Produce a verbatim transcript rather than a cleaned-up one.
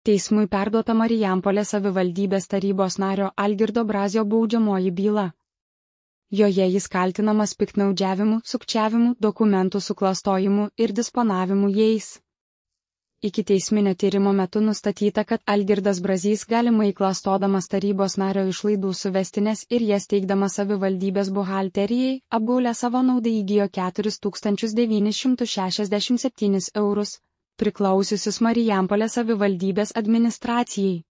Teismui perduota Marijampolės savivaldybės tarybos nario Algirdo Brazio baudžiamoji byla. Joje jis kaltinamas piktnaudžiavimu, sukčiavimu, dokumentų suklastojimu ir disponavimu jais. Ikiteisminio tyrimo metu nustatyta, kad Algirdas Brazys galimai klastodamas tarybos nario išlaidų suvestines ir jas teikdamas savivaldybės buhalterijai, apgaulę savo naudai įgijo keturis tūkstančius devynis šimtus šešiasdešimt septynis eurus, priklausiusius Marijampolės savivaldybės administracijai.